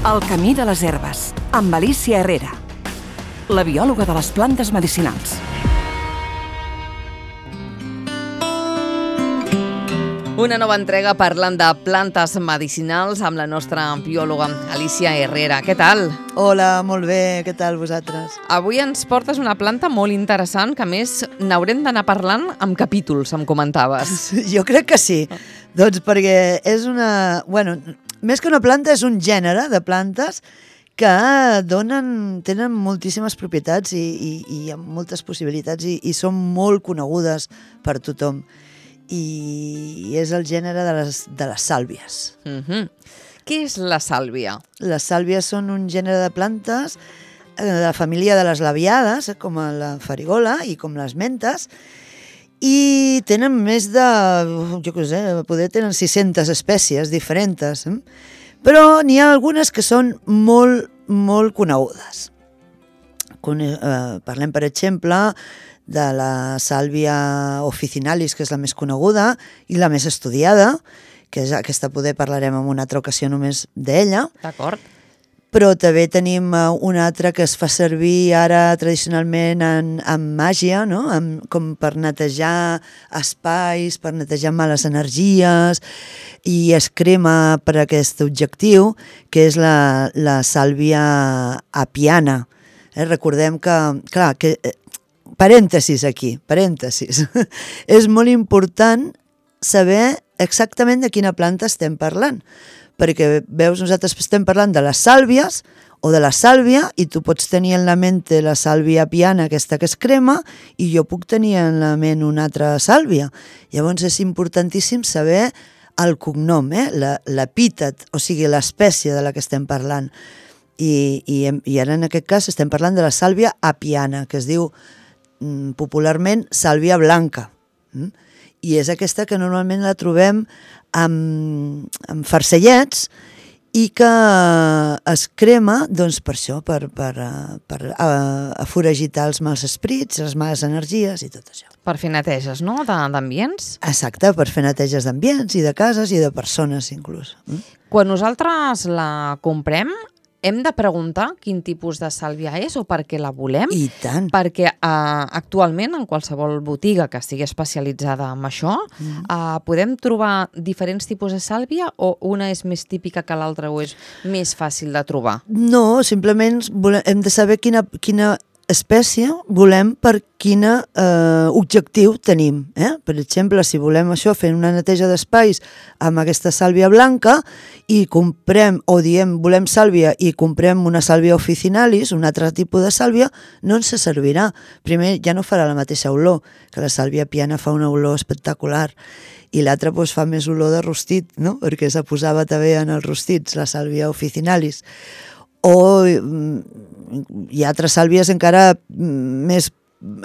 El camí de les herbes, amb Alícia Herrera, la biòloga de les plantes medicinals. Una nova entrega parlant de plantes medicinals amb la nostra biòloga Alícia Herrera. Què tal? Hola, molt bé. Què tal vosaltres? Avui ens portes una planta molt interessant que a més n'haurem d'anar parlant amb capítols, em comentaves. Jo crec que sí. Doncs perquè és una... Bueno, més que una planta és un gènere de plantes que tenen moltíssimes propietats i moltes possibilitats i són molt conegudes per tothom. I és el gènere de les sàlvies. Què és la sàlvia? Les sàlvies són un gènere de plantes de la família de les labiades, com la farigola i com les mentes, i tenen més de, jo què sé, poder tenen 600 espècies diferents, però n'hi ha algunes que són molt, molt conegudes. Parlem, per exemple, de la sàlvia officinalis, que és la més coneguda i la més estudiada, que és aquesta, poder parlarem en una altra ocasió només d'ella. D'acord. Però també tenim una altra que es fa servir ara tradicionalment en màgia, no? Com per netejar espais, per netejar males energies, i es crema per aquest objectiu, que és la sàlvia apiana. Recordem que, clar, parèntesis aquí, parèntesis. És molt important saber exactament de quina planta estem parlant, perquè, veus, nosaltres estem parlant de les sàlvies o de la sàlvia i tu pots tenir en la mente la sàlvia apiana, aquesta que es crema, i jo puc tenir en la ment una altra sàlvia. Llavors és importantíssim saber el cognom, l'epítet, o sigui, l'espècie de la que estem parlant. I ara en aquest cas estem parlant de la sàlvia apiana, que es diu popularment sàlvia blanca. I és aquesta que normalment la trobem amb farcellets i que es crema, doncs, per això, per aforagitar els mals esprits, les males energies i tot això. Per fer neteges, no?, d'ambients? Exacte, per fer neteges d'ambients i de cases i de persones, inclús. Quan nosaltres la comprem, hem de preguntar quin tipus de sàlvia és o per què la volem? I tant. Perquè actualment en qualsevol botiga que estigui especialitzada en això, podem trobar diferents tipus de sàlvia o una és més típica que l'altra o és més fàcil de trobar? No, simplement hem de saber quina espècie volem per quin objectiu tenim. Per exemple, si volem això, fer una neteja d'espais amb aquesta sàlvia blanca i comprem, o diem volem sàlvia i comprem una sàlvia officinalis, un altre tipus de sàlvia, no ens servirà. Primer, ja no farà la mateixa olor, que la sàlvia apiana fa una olor espectacular, i l'altra fa més olor de rostit, no? Perquè se posava també en els rostits, la sàlvia officinalis. O hi ha altres sàlvies encara més,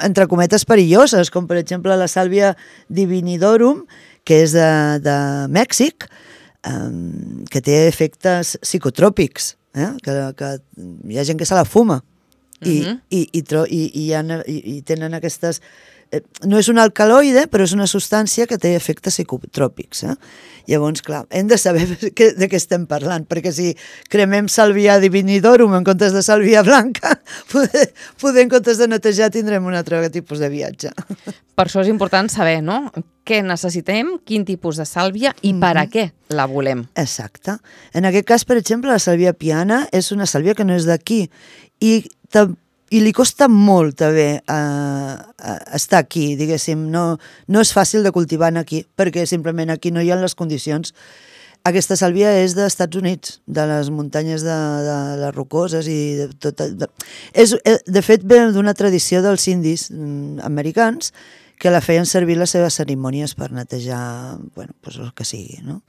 entre cometes, perilloses, com per exemple la sàlvia divinidorum, que és de Mèxic, que té efectes psicotròpics, que hi ha gent que se la fuma i tenen aquestes... No és un alcaloide, però és una substància que té efectes psicotròpics. Llavors, clar, hem de saber de què estem parlant, perquè si cremem sàlvia divinidorum en comptes de sàlvia blanca, poder en comptes de netejar tindrem un altre tipus de viatge. Per això és important saber, no?, què necessitem, quin tipus de sàlvia i per a què la volem. Exacte. En aquest cas, per exemple, la sàlvia apiana és una sàlvia que no és d'aquí i li costa molt també estar aquí, diguéssim. No és fàcil de cultivar aquí, perquè simplement aquí no hi ha les condicions. Aquesta sàlvia és dels Estats Units, de les muntanyes de les rocoses i de tot. De fet, ve d'una tradició dels indis americans que la feien servir les seves cerimònies per netejar, bueno, doncs el que sigui, no?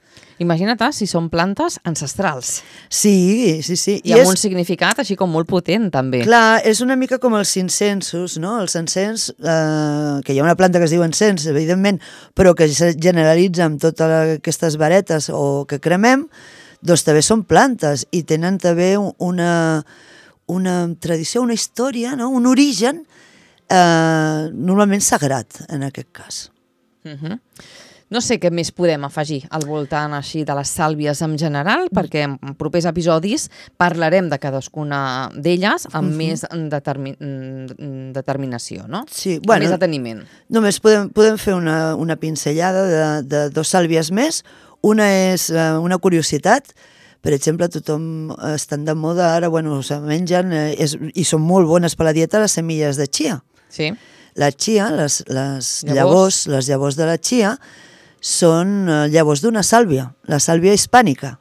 Imagina't si són plantes ancestrals. Sí. I amb un significat així com molt potent, també. Clar, és una mica com els incensos, no? Els encens, que hi ha una planta que es diu encens, evidentment, però que es generalitza amb totes aquestes varetes o que cremem, doncs també són plantes i tenen també una tradició, una història, no? Un origen normalment sagrat, en aquest cas. No sé què més podem afegir al voltant així de les sàlvies en general, perquè en propers episodis parlarem de cadascuna d'elles amb més determinació, no? Sí, amb més deteniment. Només podem fer una pinzellada de dos sàlvies més. Una és una curiositat. Per exemple, tothom estan de moda ara, se mengen i són molt bones per la dieta les semilles de chia. Sí. La chia, les llavors de la chia, són llavors d'una sàlvia, la sàlvia hispànica.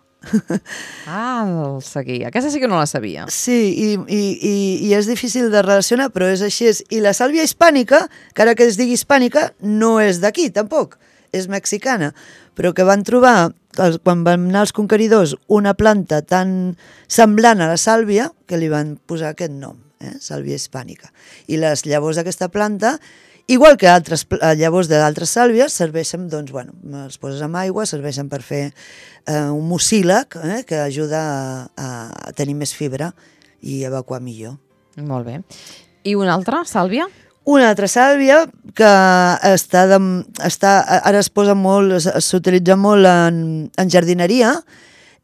El seguia. Aquesta sí que no la sabia. Sí, i és difícil de relacionar, però és així. I la sàlvia hispànica, que ara que es digui hispànica, no és d'aquí, tampoc. És mexicana, però que van trobar, quan van anar els conqueridors, una planta tan semblant a la sàlvia que li van posar aquest nom, sàlvia hispànica. I les llavors d'aquesta planta, igual que altres llavors d'altres sàlvies, serveixen, els poses amb aigua, serveixen per fer un mucílag que ajuda a tenir més fibra i evacuar millor. Molt bé. I una altra sàlvia? Una altra sàlvia que ara es posa molt, s'utilitza molt en jardineria,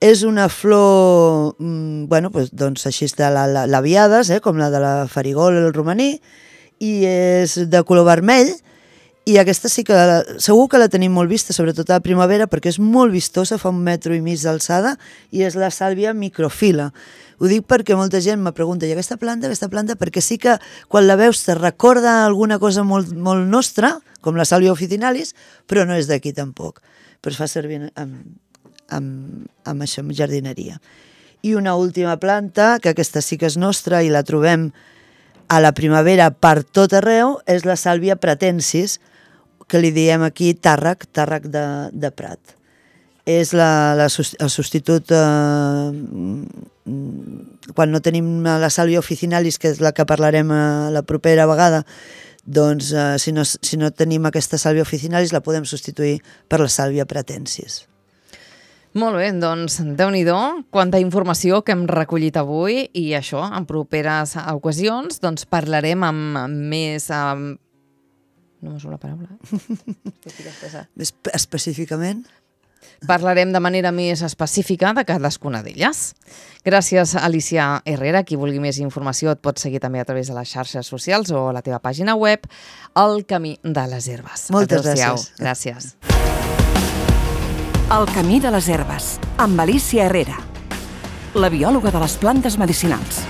és una flor, així de labiades, com la de la farigola, el romaní, i és de color vermell, i aquesta sí que segur que la tenim molt vista, sobretot a la primavera, perquè és molt vistosa, fa 1,5 metres d'alçada, i és la sàlvia microfila. Ho dic perquè molta gent me pregunta, i aquesta planta, perquè sí que quan la veus te recorda alguna cosa molt, molt nostra, com la sàlvia officinalis, però no és d'aquí tampoc, però es fa servir amb això, amb jardineria. I una última planta, que aquesta sí que és nostra i la trobem a la primavera per tot arreu, és la sàlvia pratensis, que li diem aquí tàrrec de prat. És el substitut, quan no tenim la sàlvia officinalis, que és la que parlarem la propera vegada, doncs si no tenim aquesta sàlvia officinalis la podem substituir per la sàlvia pratensis. Molt bé, doncs Déu-n'hi-do, quanta informació que hem recollit avui, i això, en properes ocasions, doncs parlarem amb més... No m'ho surt la paraula. Més específicament? Parlarem de manera més específica de cadascuna d'elles. Gràcies, Alicia Herrera. Qui vulgui més informació et pot seguir també a través de les xarxes socials o la teva pàgina web, El Camí de les Herbes. Moltes gràcies. Gràcies. El Camí de les Herbes, amb Alicia Herrera, la biòloga de les plantes medicinals.